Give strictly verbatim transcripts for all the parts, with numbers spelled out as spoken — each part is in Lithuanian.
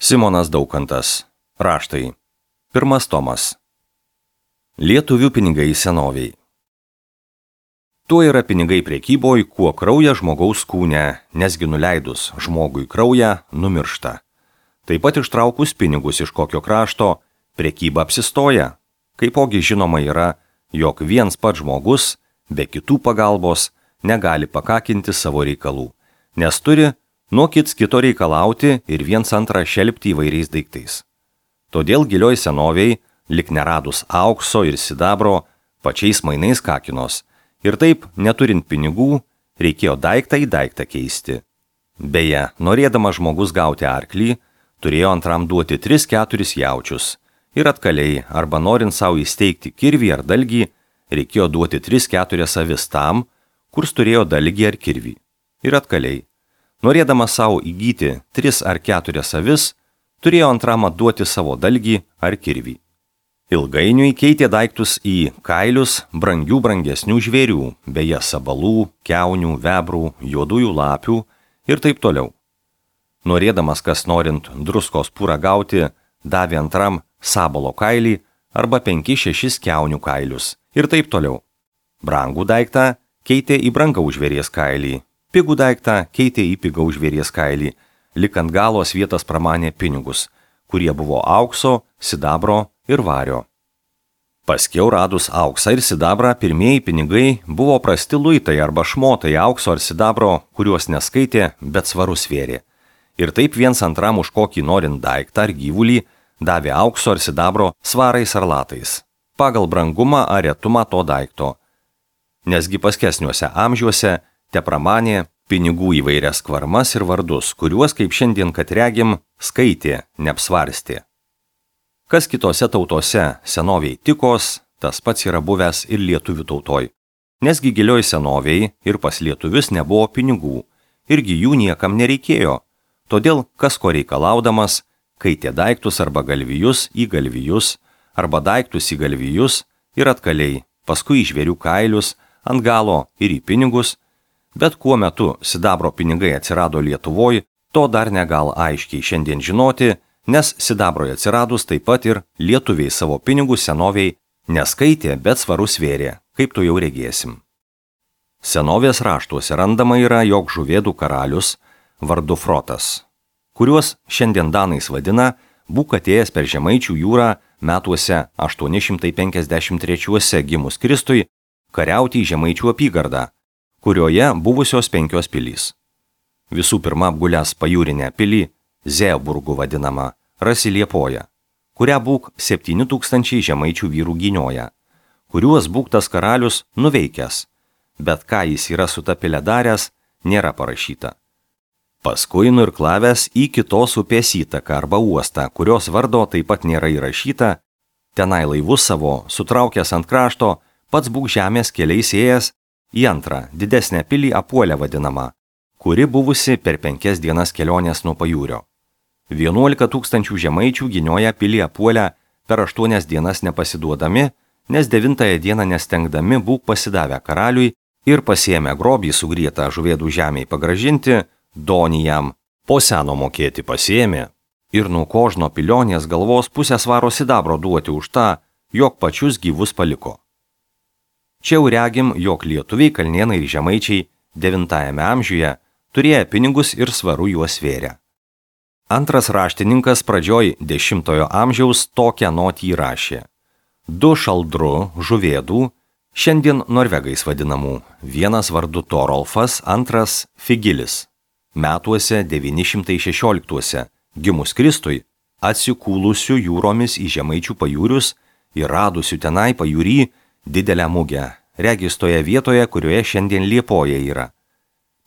Simonas Daukantas. Raštai. Pirmas tomas. Lietuvių pinigai senoviai. Tuo yra pinigai prekyboj, kuo krauja žmogaus kūne, nesgi nuleidus žmogui kraują numiršta. Taip pat ištraukus pinigus iš kokio krašto, prekyba apsistoja. Kaipogi žinoma yra, jog viens pats žmogus, be kitų pagalbos, negali pakakinti savo reikalų, nes turi nuo kits kito reikalauti ir viens antrą šelpti įvairiais daiktais. Todėl gilioj senoviai, lik neradus aukso ir sidabro, pačiais mainais kakinos, ir taip, neturint pinigų, reikėjo daiktą į daiktą keisti. Beje, norėdamas žmogus gauti arklį, turėjo antram duoti tris keturis jaučius, ir atkaliai, arba norint savo įsteigti kirvį ar dalgį, reikėjo duoti tris keturias avis tam, kurs turėjo dalgį ar kirvį. Ir atkaliai. Norėdamas savo įgyti tris ar keturias avis, turėjo antram atduoti savo dalgį ar kirvį. Ilgainiui keitė daiktus į kailius brangių brangesnių žvėrių, beje sabalų, kiaunių, vebrų, juodųjų lapių ir taip toliau. Norėdamas kas norint druskos purą gauti, davė antram sabalo kailį arba penki šešis kiaunių kailius ir taip toliau. Brangų daiktą keitė į brangaus žvėries kailį. Pigų daiktą keitė į pigaus žvėries kailį, lik ant galos vietas pramanė pinigus, kurie buvo aukso, sidabro ir vario. Paskiau radus auksą ir sidabrą, pirmieji pinigai buvo prasti luitai arba šmotai aukso ar sidabro, kuriuos neskaitė, bet svarus svėrė. Ir taip viens antram už kokį norint daiktą ar gyvulį davė aukso ar sidabro svarais ar latais, pagal brangumą ar retumą to daikto. Nesgi paskesniuose amžiuose te pramanė pinigų įvairias kvarmas ir vardus, kuriuos, kaip šiandien kad regim, skaitė, neapsvarstė. Kas kitose tautose senoviai tikos, tas pats yra buvęs ir lietuvių tautoj. Nesgi gilioj senoviai ir pas lietuvius nebuvo pinigų, irgi jų niekam nereikėjo. Todėl, kas ko reikalaudamas, kaitė daiktus arba galvijus į galvijus, arba daiktus į galvijus ir atkaliai, paskui į žvėrių kailius, ant galo ir į pinigus. Bet kuo metu sidabro pinigai atsirado Lietuvoj, to dar negal aiškiai šiandien žinoti, nes sidabroj atsiradus taip pat ir lietuviai savo pinigus senoviai neskaitė, bet svarus svėrė, kaip tu jau regėsim. Senovės raštuose randama yra, jog žuvėdų karalius vardu Frotas, kuriuos šiandien danais vadina, būk atėjęs per Žemaičių jūrą metuose aštuoni šimtai penkiasdešimt trečiuose gimus Kristui kariauti į Žemaičių apygardą, kurioje buvusios penkios pilys. Visų pirma apgulęs pajūrinę pilį, Zeeburgų vadinamą, rasi Liepoją, kurią būk septyni tūkstančiai žemaičių vyrų gynioja, kuriuos būk tas karalius nuveikęs, bet ką jis yra su ta pilė daręs, nėra parašyta. Paskui nuirklavęs į kitos upės įtaką arba uostą, kurios vardo taip pat nėra įrašyta, tenai laivus savo, sutraukęs ant krašto, pats būk žemės keliais ėjęs į antrą, didesnę pilį Apuolę vadinamą, kuri buvusi per penkias dienas kelionės nuo pajūrio. Vienuolika tūkstančių žemaičių gynioja pilį Apuolę per aštuonias dienas nepasiduodami, nes devintąją dieną nestengdami būk pasidavę karaliui ir pasiėmę grobį sugrietą žuvėdų žemiai pagražinti, donį jam po seno mokėti pasiėmė ir nuo kožno pilionės galvos pusę svaro sidabro duoti už tą, jog pačius gyvus paliko. Čia jau regim, jog lietuviai, kalnėnai ir žemaičiai devintajame amžiuje turėjo pinigus ir svaru juos svėrė. Antras raštininkas pradžioj dešimtojo amžiaus tokią notį įrašė. Du šaldru žuvėdų, šiandien norvegais vadinamų, vienas vardu Torolfas, antras Figilis. Metuose devyni šimtai šešioliktuose, gimus Kristui, atsikūlusių jūromis į Žemaičių pajūrius ir radusių tenai pajūry didelę mugę, regis toje vietoje, kurioje šiandien Liepoja yra.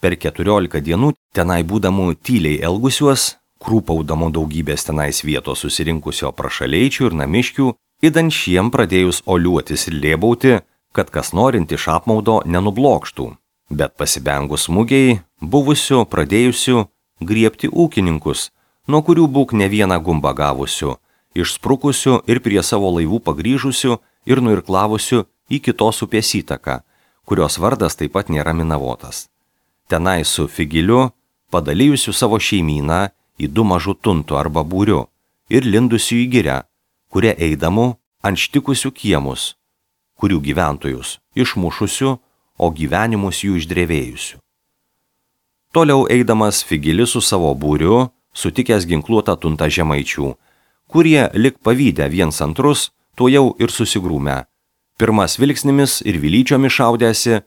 Per keturiolika dienų tenai būdamų tyliai elgusiuos, krūpaudamų daugybės tenais vietos susirinkusio prašaleičių ir namiškių, idant šiem pradėjus oliuotis ir lėbauti, kad kas norint iš apmaudo nenublokštų, bet pasibengus mugiai, buvusių pradėjusių griebti ūkininkus, nuo kurių būk ne vieną gumbą gavusių, išsprukusių ir prie savo laivų pagrįžusių ir nuirklavusių į kitos upės įtaką, kurios vardas taip pat nėra minavotas. Tenai su Figiliu, padalijusiu savo šeimyną į du mažutuntų arba būriu ir lindusių į girią, kurie eidamų ant štikusių kiemus, kurių gyventojus išmušusių, o gyvenimus jų išdrevėjusių. Toliau eidamas Figilis su savo būriu, sutikęs ginkluotą tuntą žemaičių, kurie lik pavydę viens antrus, tuo jau ir susigrūmę. Pirmas vilksnimis ir vilyčiomis šaudėsi,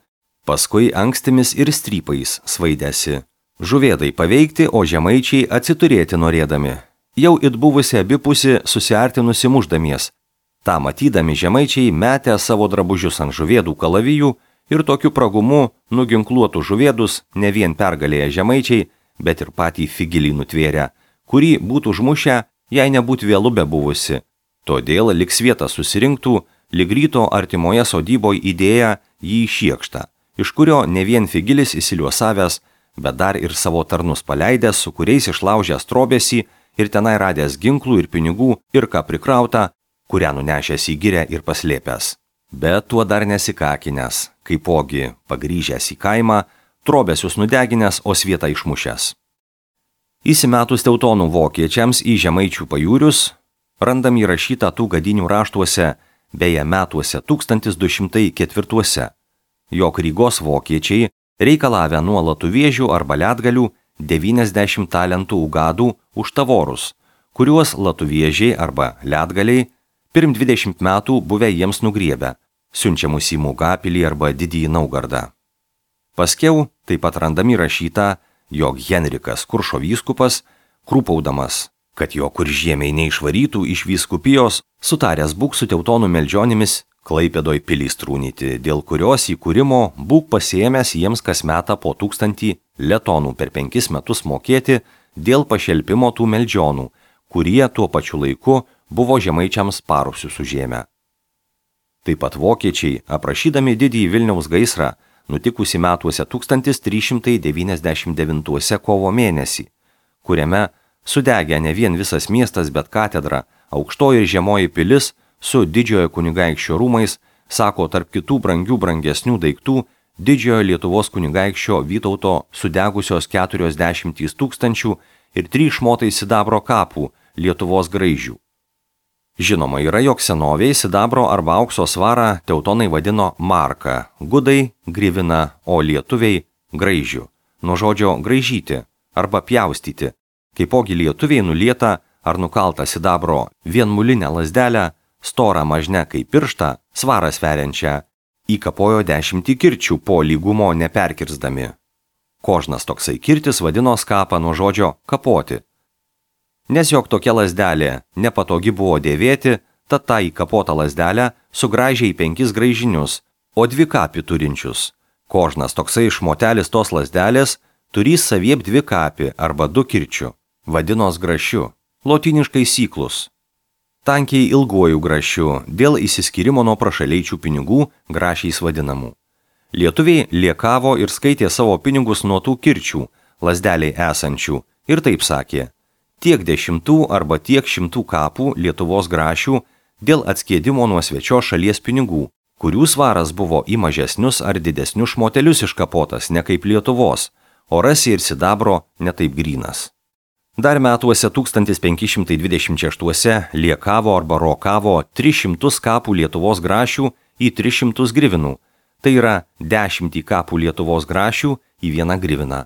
paskui ankstimis ir strypais svaidėsi. Žuvėdai paveikti, o žemaičiai atsiturėti norėdami. Jau it buvusi abipusi susiartinusi muždamies. Ta matydami žemaičiai metė savo drabužius ant žuvėdų kalavijų ir tokiu pragumu nuginkluotų žuvėdus ne vien pergalėję žemaičiai, bet ir patį Figilį nutvėrę, kurį būtų užmušę, jei nebūtų vėlu be buvusi. Todėl lik svietą susirinktų, lig ryto artimoje sodyboje įdėję jį į šiekštą, iš kurio ne vien Figilis įsiliuosavęs, bet dar ir savo tarnus paleidęs, su kuriais išlaužęs trobėsi ir tenai radęs ginklų ir pinigų ir ką prikrauta, kurią nunešęs į girę ir paslėpęs. Bet tuo dar nesikakinęs, kaipogi pagrįžęs į kaimą, trobesius nudeginęs, o svietą išmušęs. Įsimetus teutonų vokiečiams į žemaičių pajūrius, randam įrašytą tų gadinių raštuose, beje metuose tūkstantis du šimtai ketvirtuose, jog Rygos vokiečiai reikalavę nuo latuviežių arba ledgalių devyniasdešimt talentų ugadų už tavorus, kuriuos latuviežiai arba ledgaliai pirm dvidešimt metų buvę jiems nugriebę, siunčiamus į Mūgapilį arba Didįjį Naugardą. Paskiau taip pat randami rašyta, jog Henrikas Kuršo vyskupas, krūpaudamas, kad jo kuržiemiai neišvarytų iš vyskupijos, sutaręs būk su teutonų meldžionimis Klaipėdoj pilį strūnyti, dėl kurios įkūrimo būk pasiėmęs jiems kas metą po tūkstantį letonų per penkis metus mokėti dėl pašelpimo tų meldžionų, kurie tuo pačiu laiku buvo žemaičiams parusius užėmę. Taip pat vokiečiai, aprašydami didįjį Vilniaus gaisrą, nutikusi metuose tūkstantis trys šimtai devyniasdešimt devintuose kovo mėnesį, kuriame sudegė ne vien visas miestas, bet katedra, aukštoji ir žemoji pilis su didžiojo kunigaikščio rūmais, sako tarp kitų brangių brangesnių daiktų didžiojo Lietuvos kunigaikščio Vytauto sudegusios keturiasdešimt tūkstančių ir trys šmotai sidabro kapų Lietuvos graižių. Žinoma yra, jog senovėje sidabro arba aukso svarą teutonai vadino marka, gudai grivina, o lietuviai graižių, nuo žodžio graižyti arba pjaustyti, kaipogi lietuviai nulietą ar nukaltą sidabro vienmulinę lazdelę, storą mažne kaip pirštą, svarą sveriančią, įkapojo dešimtį kirčių po lygumo neperkirsdami. Kožnas toksai kirtis vadino skapą nuo žodžio kapoti. Nes jog tokia lazdelė nepatogi buvo dėvėti, tad tą įkapotą lazdelę sugraižė į penkis graižinius, o dvi kapį turinčius. Kožnas toksai šmotelis tos lazdelės turys saviep dvi kapį arba du kirčių, vadinos grašiu, lotyniškai syklus. Tankiai ilguoju grašiu, dėl įsiskyrimo nuo prašaleičių pinigų grašiais vadinamų. Lietuviai liekavo ir skaitė savo pinigus nuo tų kirčių, lazdeliai esančių, ir taip sakė: tiek dešimtų arba tiek šimtų kapų Lietuvos grašių dėl atskiedimo nuo svečios šalies pinigų, kurių svaras buvo į mažesnius ar didesnius šmotelius iškapotas ne kaip Lietuvos, o rasi ir sidabro ne taip grynas. Dar metuose tūkstantis penki šimtai dvidešimt šeštuose liekavo arba rokavo tris šimtus kapų Lietuvos grašių į tris šimtus grivinų, tai yra dešimtį kapų Lietuvos grašių į vieną griviną.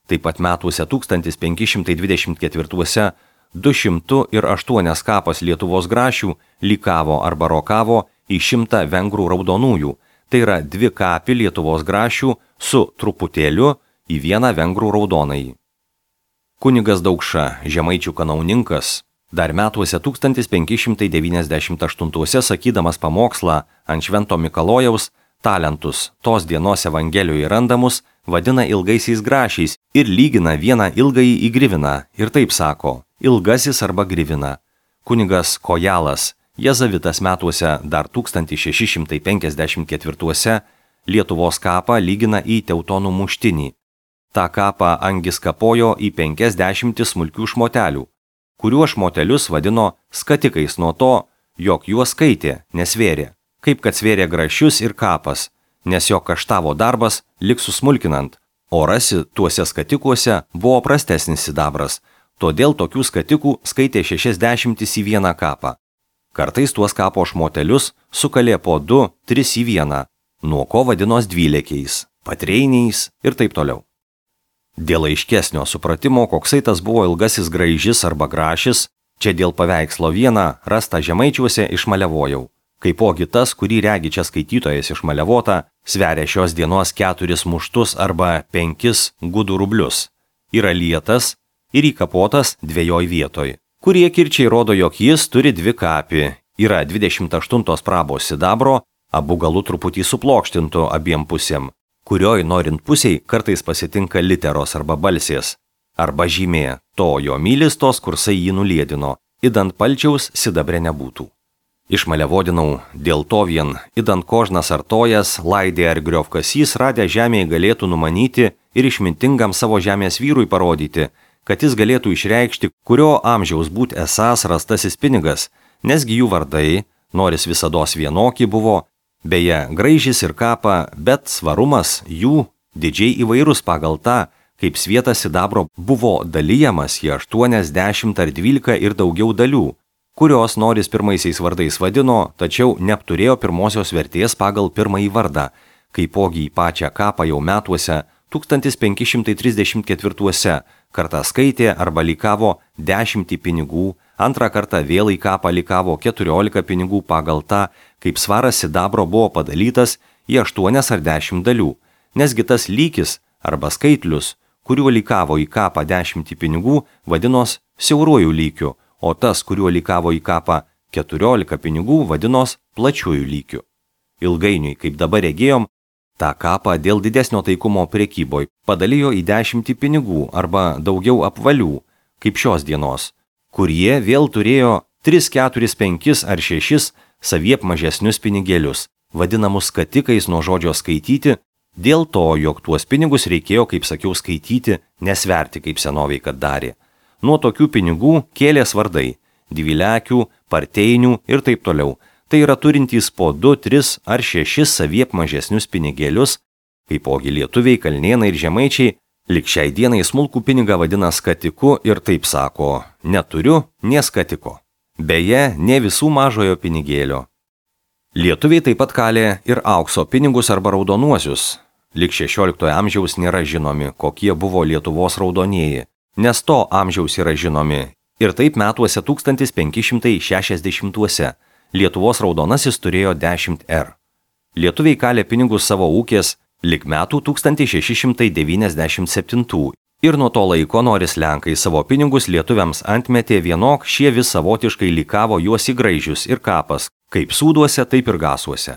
Taip pat metuose tūkstantis penki šimtai dvidešimt ketvirtuose du šimtus ir aštuonias kapas Lietuvos grašių lykavo arba rokavo į šimtą vengrų raudonųjų, tai yra dvi kapį Lietuvos grašių su truputėliu į vieną vengrų raudonąjį. Kunigas Daukša, žemaičių kanauninkas, dar metuose tūkstantis penki šimtai devyniasdešimt aštuntuose sakydamas pamokslą ant Švento Mikalojaus, talentus tos dienos Evangelijoje randamus vadina ilgaisiais grašiais ir lygina vieną ilgąjį į griviną ir taip sako: ilgasis arba grivina. Kunigas Kojalas, jezavitas metuose dar tūkstantis šeši šimtai penkiasdešimt ketvirtuose, Lietuvos kapą lygina į teutonų muštinį. Ta kapą angis kapojo į penkiasdešimtį smulkių šmotelių, kuriuo šmotelius vadino skatikais nuo to, jog juos skaitė, nesvėrė, kaip kad svėrė grašius ir kapas, nes jo kaštavo darbas lik susmulkinant, o rasi tuose skatikuose buvo prastesnis sidabras, todėl tokių skatikų skaitė šešiasdešimtis į vieną kapą. Kartais tuos kapo šmotelius sukalė po du, tris į vieną, nuo ko vadinos dvylekiais, patreiniais ir taip toliau. Dėl aiškesnio supratimo, koksai tas buvo ilgasis graižis arba grašis, čia dėl paveikslo vieną rasta žemaičiuose išmaliavojau. Kaipogi tas, kurį regi čia skaitytojas išmaliavota, sveria šios dienos keturis muštus arba penkis gudų rublius. Yra lietas ir įkapotas dviejoj vietoj. Kurie kirčiai rodo, jog jis turi dvi kapį. Yra dvidešimt aštuntos prabos sidabro, abu galų truputį suplokštintų abiem pusėm, kurioj norint pusiai kartais pasitinka literos arba balsės, arba žymė, to jo mylis tos kursai jį nuliedino, idant palčiaus sidabre nebūtų. Išmaliavodinau, dėl to vien, idant kožnas artojas, laidė ar griovkasys radę žemėje galėtų numanyti ir išmintingam savo žemės vyrui parodyti, kad jis galėtų išreikšti, kurio amžiaus būt esąs rastasis pinigas, nesgi jų vardai, noris visados vienoki buvo, beje, graižis ir kapa, bet svarumas jų didžiai įvairus pagal tą, kaip svietas sidabro buvo dalyjamas į aštuoniasdešimt ar dvylika ir daugiau dalių, kurios noris pirmaisiais vardais vadino, tačiau neapturėjo pirmosios vertės pagal pirmąjį vardą, kaipogi į pačią kapą jau metuose tūkstantis penki šimtai trisdešimt ketvirtuose kartą skaitė arba likavo dešimtį pinigų, antrą kartą vėl į kapą likavo keturiolika pinigų pagal tą, kaip svaras sidabro buvo padalytas į aštuonias ar dešimt dalių, nesgi tas lykis arba skaitlius, kuriuo likavo į kapą dešimtį pinigų, vadinos siauruoju lykiu, o tas, kuriuo likavo į kapą keturiolika pinigų, vadinos plačiuoju lykiu. Ilgainiui, kaip dabar regėjom, tą kapą dėl didesnio taikumo prekyboj padalijo į dešimtį pinigų arba daugiau apvalių, kaip šios dienos, kurie vėl turėjo tris, keturis, penkis ar šešis saviep mažesnius pinigėlius, vadinamus skatikais nuo žodžio skaityti, dėl to, jog tuos pinigus reikėjo, kaip sakiau, skaityti, nesverti, kaip senoviai kad darė. Nuo tokių pinigų kėlės vardai – dvylekių, parteinių ir taip toliau. Tai yra turintys po du, tris ar šešis saviep mažesnius pinigėlius, kaipogi lietuviai, kalnėnai ir žemaičiai, lik šiai dienai smulkų pinigą vadina skatiku ir taip sako, neturiu, nė skatiko. Beje, ne visų mažojo pinigėlio. Lietuviai taip pat kalė ir aukso pinigus arba raudonuosius. Lik šešioliktojo amžiaus nėra žinomi, kokie buvo Lietuvos raudonieji, nes to amžiaus yra žinomi. Ir taip metuose tūkstantis penki šimtai šešiasdešimtuose. Lietuvos raudonasis turėjo dešimt er. Lietuviai kalė pinigus savo ūkės lik metų tūkstantis šeši šimtai devyniasdešimt septintų. Ir nuo to laiko noris lenkai savo pinigus lietuviams antmetė vienok, šie vis savotiškai likavo juos į graižius ir kapas, kaip sūduose, taip ir gasuose.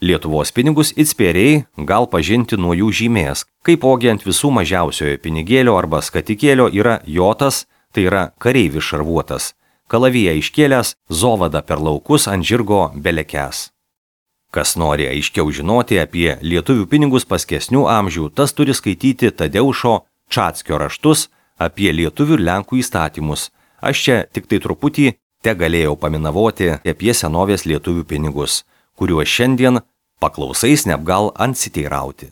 Lietuvos pinigus itspėriai gal pažinti nuo jų žymės, kaipogi ant visų mažiausiojo pinigėlio arba skatikėlio yra jotas, tai yra kareivis šarvuotas. Kalaviją iškėlęs, zovada per laukus ant žirgo belekęs. Kas nori aiškiau žinoti apie lietuvių pinigus paskesnių amžių, tas turi skaityti Tadeušo Čatskio raštus apie lietuvių ir lenkų įstatymus. Aš čia tik tai truputį te galėjau paminavoti apie senovės lietuvių pinigus, kuriuos šiandien paklausais neapgal ansiteirauti.